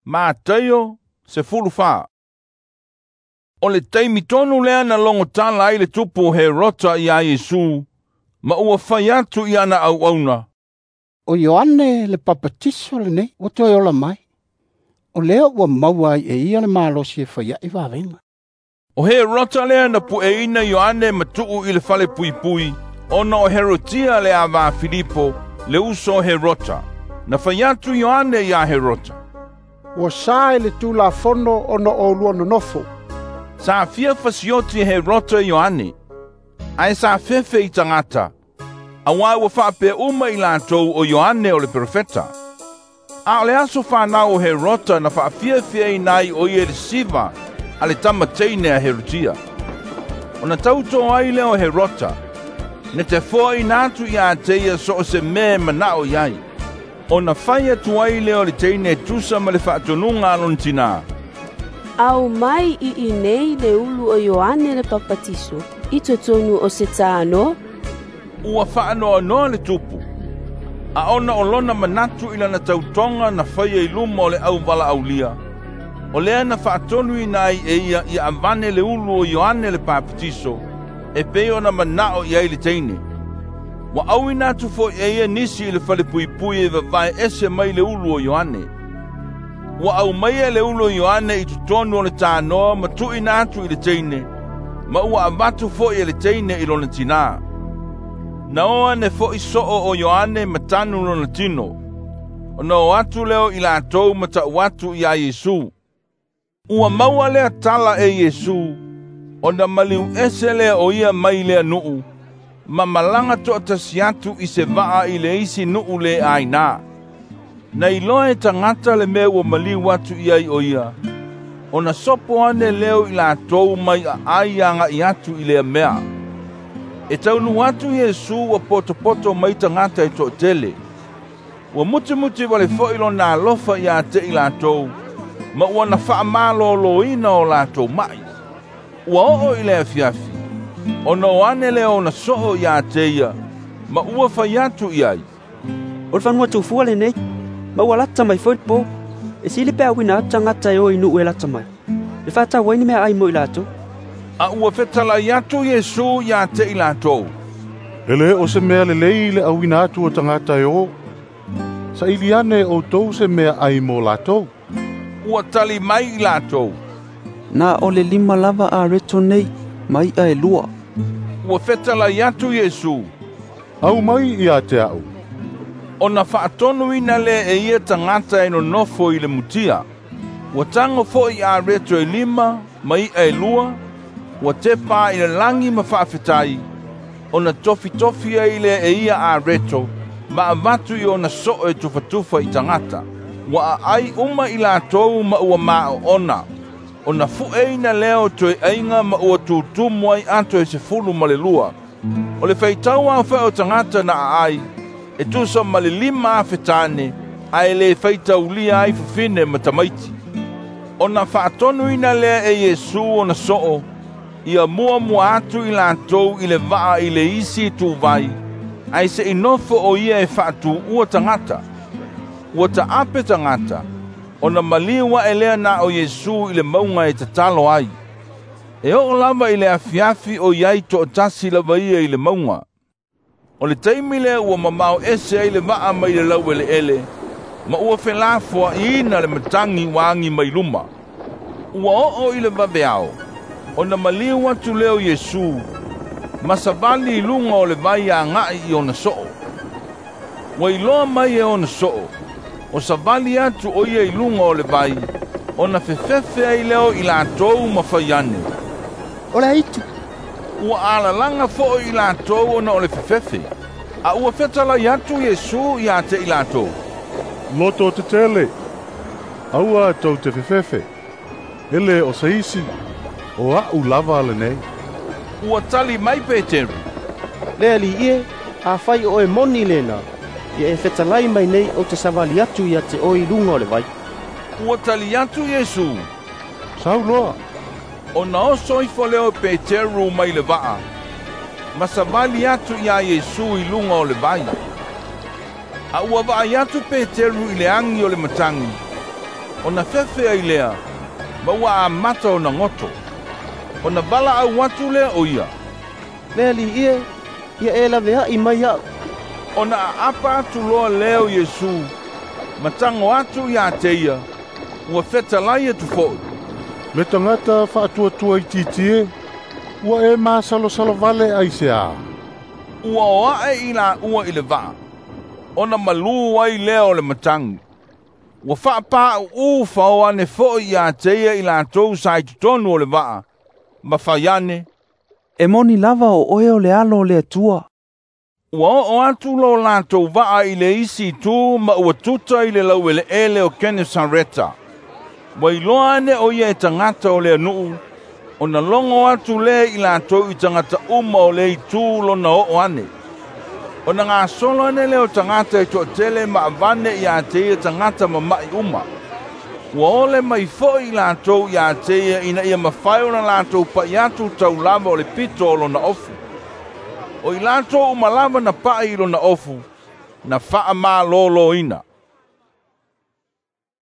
Mataio 14. O le taimi tonu lea na logo tala ai le tupu o Herota iā Iesu, ma ua fai atu i ana auauna, “O Ioane le Papatiso lenei ua toe ola mai. O lea ua maua ai e ia le malosi e fai aʻe vavega.” O Herota lea na pueina Ioane ma tuu i le falepuipui, ona o Herotia le ava a Filipo, le uso o Herota. Na fai atu Ioane iā Herota, “Ua sa i le Tulafono ona oulua nonofo.” Sa fia fasioti e Herota Ioane, ae sa fefe i tagata, auā ua faapea uma i latou o Ioane o le perofeta. A o le aso fanau o Herota na faafiafiaina ai o ia i le siva a le tama teine a Herotia. Ona tautō ai lea o Herota, na te foaina atu iā te ia so o se mea e manao i ai. Ona fai atu ai lea o le teine e tusa ma le faatonuga a lona tinā, “Aumai i inei le ulu o Ioane le Papatiso i totonu o se tanoa.” Ua faanoanoa le tupu, a ona o lona manatu i lana tautoga na faia i luma o le auvalaaulia, o lea na faatonuina ai e ia ia avane le ulu o Ioane le Papatiso, e pei ona manao i ai le teine. Ua auina atu foi e ia nisi i le falepuipui e vavae ese mai le ulu o Ioane. Ua aumaia le ulu o Ioane i totonu o le tanoa ma tuuina atu i le teine, ma ua avatu foi e le teine i lona tinā. Na o ane foi soo o Ioane ma tanu lona tino, ona o atu lea o i latou ma ta'u atu iā Iesu. Ua maua lea tala e Iesu, ona maliu ese lea o ia mai lea nuu, ma malaga toatasi atu i se vaa i le isi nuu le ainā. Na iloa e tagata le mea ua maliu atu i ai o ia, ona sopo ane lea o i latou mai aai aga'i atu i lea mea. E taunuu atu Iesu ua potopoto mai tagata e toatele. Ua mutimuti wale foi lona alofa iā te i latou, ma ua na faamalōlōina o latou mai. Ua oo i le afiafi, ona o ane lea ona soo iā te ia, ma ua fai atu i ai, “O le fanua tufua lenei, ma ua lata mai foi le pō. E sili pe auina atu tagata e o i nuu e lata mai, e faatau ai ni meaai mo i latou.” A ua fetalai atu Iesu iā te i latou, “E lē o se mea lelei le auina atu o tagata e o. Saili ane e outou se meaai mo latou.” Ua tali mai i latou, “Na o le 5 lava areto nei, ma i'a e 2.” Ua fetalai atu Iesu, “Aumai ia te a'u.” Ona faatonuina lea e ia tagata e nonofo i le mutia. Ua tago foi areto e 5 ma i'a e 2, ua tepa i le lagi ma faafetai, ona tofitofi ai lea e ia areto, ma avatu i ona soo e tufatufa i tagata. Ua aai uma i latou ma ua maoona, ona fueina lea o toeaiga ma ua tutumu ai ato e 12. O le faitau aofai o tagata na aai, e tusa ma le 5,000 tane, ae le faitaulia ai fafine ma tamaiti. Ona faatonuina lea e Iesu ona soo, ia muamua atu i latou i le vaa i le isi ituvai, ae se'i nofo o ia e faatuua tagata. Ua taape tagata, ona maliu ae lea na o Iesu i le mauga e tatalo ai. E oo lava i le afiafi o i ai toatasi lava ia i le mauga. O le taimi lea ua mamao ese ai le vaa mai le laueleele, ma ua felafoa'iina le matagi ua agi mai luma. Ua oo i le vaveao, ona maliu atu lea o Iesu, ma savali i luga o le vai aga'i i ona soo. Ua iloa mai e ona soo, o savali atu o ia i luga o le vai, ona fefefe ai lea o i latou ma fai ane, “O le aitu.” Ua alalaga foi i latou ona o le fefefe. A ua fetalai atu Iesu iā te i latou, “Loto tetele, aua tou te fefefe. E lē o se isi, o a'u lava lenei.” Ua tali mai Peteru, “Le Alii e, afai o oe moni lena, ia e fetalai mai nei ou te savali atu ia te oe i luga o le vai.” Ua tali atu Iesu, “Sau loa.” Ona oso ifo lea o Peteru mai le vaa, ma savali atu iā Iesu i luga o le vai. A ua vaai atu Peteru i le agi o le matagi, Ona fefe ai lea, ma ua amata ona goto. Ona valaau atu lea o ia, “Le Alii e, ia e laveai mai iaʻu.” Ona aapa atu loa lea o Iesu, ma tago atu ia te ia, ua fetalai atu foi, “Le tagata faatuatua itiiti e, ua e masalosalo vale aisea?” Ua o ae i laua i le vaa, ona malū ai lea o le matagi. Ua faapāuū fao ane foi ia te ia i latou sa i totonu o le vaa, ma fai ane, “E moni lava o oe o le Alo o le Atua.” Ua oo atu lo latou vaa i le isi itu ma ua tuta i le laueleele o Kenesareta. Ua iloa ane o ia e tagata o le atunuu, ona logo atu lea i latou i tagata uma o lea itu lona oo ane. Ona gasolo ane lea o tagata e toatele ma avane ia te ia tagata mama'i uma. Ua ole mai foi i latou ia te ia ina ia mafai ona latou pa'i atu taulava o le pito o lona ofu. O i latou uma lava na pa'i i lona ofu, na faamalōlōina.